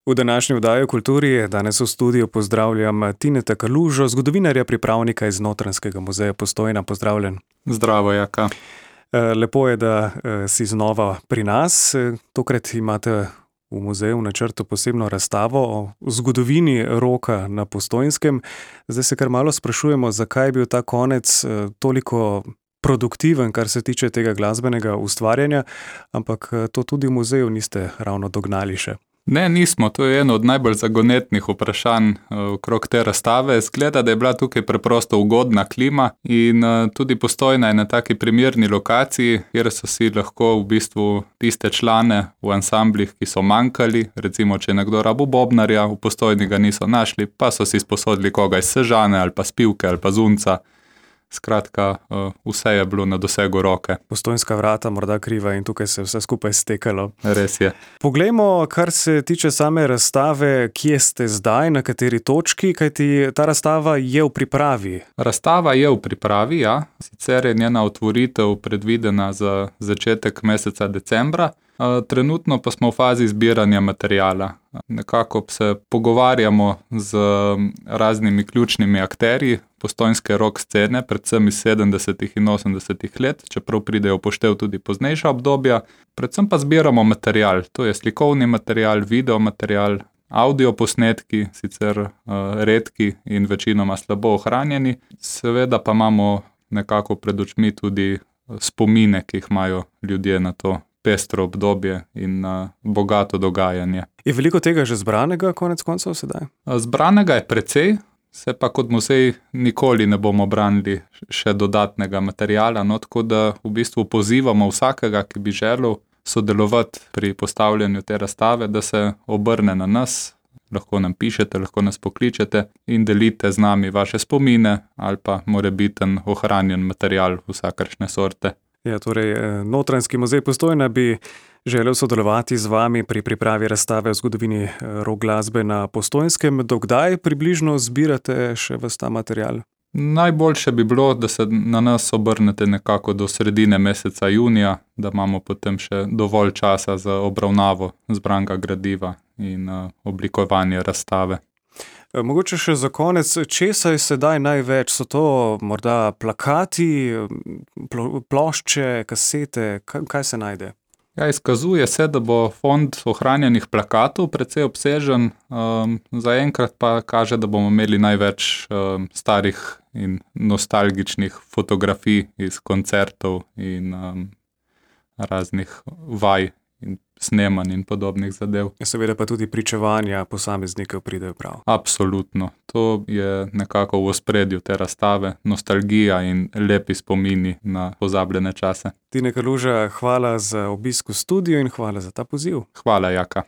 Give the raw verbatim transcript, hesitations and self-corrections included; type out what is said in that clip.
V današnji oddaji o kulturi danes v studiu pozdravljam Tineta Kalužo, zgodovinarja, pripravnika iz Notranjskega muzeja Postojna. Pozdravljen. Zdravo, Jaka. Lepo je, da si znova pri nas. Tokrat imate v muzeju v načrtu posebno razstavo o zgodovini roka na Postojnskem. Zdaj se kar malo sprašujemo, zakaj je bil ta konec toliko produktiven, kar se tiče tega glasbenega ustvarjanja, ampak to tudi v muzeju niste ravno dognali še. Ne, nismo. To je eno od najbolj zagonetnih vprašanj okrog te razstave. Zgleda, da je bila tukaj preprosto ugodna klima in tudi Postojna je na taki primerni lokaciji, kjer so si lahko v bistvu tiste člane v ansamblih, ki so manjkali, recimo, če je nekdo rabil bobnarja, v Postojni ga niso našli, pa so si sposodili koga iz Sežane ali pa Spivke ali pa Zunca. Skratka, vse je bilo na dosegu roke. Postojnska vrata morda kriva in tukaj se vse skupaj stekalo. Res je. Poglejmo, kar se tiče same razstave, kje ste zdaj, na kateri točki, kajti ta razstava je v pripravi. Razstava je v pripravi, ja. Sicer je njena otvoritev predvidena za začetek meseca decembra. Trenutno pa smo v fazi zbiranja materiala. Nekako se pogovarjamo z raznimi ključnimi akterji postojnske rock scene, predvsem iz sedemdesetih in osemdesetih let, čeprav pridejo v poštev tudi poznejša obdobja. Predvsem pa zbiramo material. To je slikovni material, video material, audio posnetki, sicer uh, redki in večinoma slabo ohranjeni. Seveda pa imamo nekako pred očmi tudi spomine, ki jih imajo ljudje na to pestro obdobje in uh, bogato dogajanje. Je veliko tega že zbranega konec koncev sedaj? Zbranega je precej, se pa kot muzej nikoli ne bomo branili še dodatnega materiala, no, tako da v bistvu pozivamo vsakega, ki bi želel sodelovati pri postavljanju te razstave, da se obrne na nas, lahko nam pišete, lahko nas pokličete in delite z nami vaše spomine ali pa morebiten ohranjen material vsakršne sorte. Ja, torej, Notranjski muzej Postojna bi želel sodelovati z vami pri pripravi razstave o zgodovini rock glasbe na Postojnskem. Do kdaj približno zbirate še ves ta material? Najboljše bi bilo, da se na nas obrnete nekako do sredine meseca junija, da imamo potem še dovolj časa za obravnavo zbranega gradiva in oblikovanje razstave. Mogoče še za konec, česa je sedaj največ? So to morda plakati, plošče, kasete, kaj se najde? Ja, izkazuje se, da bo fond ohranjenih plakatov precej obsežen, um, zaenkrat pa kaže, da bomo imeli največ um, starih in nostalgičnih fotografij iz koncertov in um, raznih vaj in snemanj in podobnih zadev. Seveda pa tudi pričevanja posameznikov pridejo prav. Absolutno. To je nekako v ospredju te razstave, nostalgija in lepi spomini na pozabljene čase. Tine Kaluža, hvala za obisk v studiu in hvala za ta poziv. Hvala, Jaka.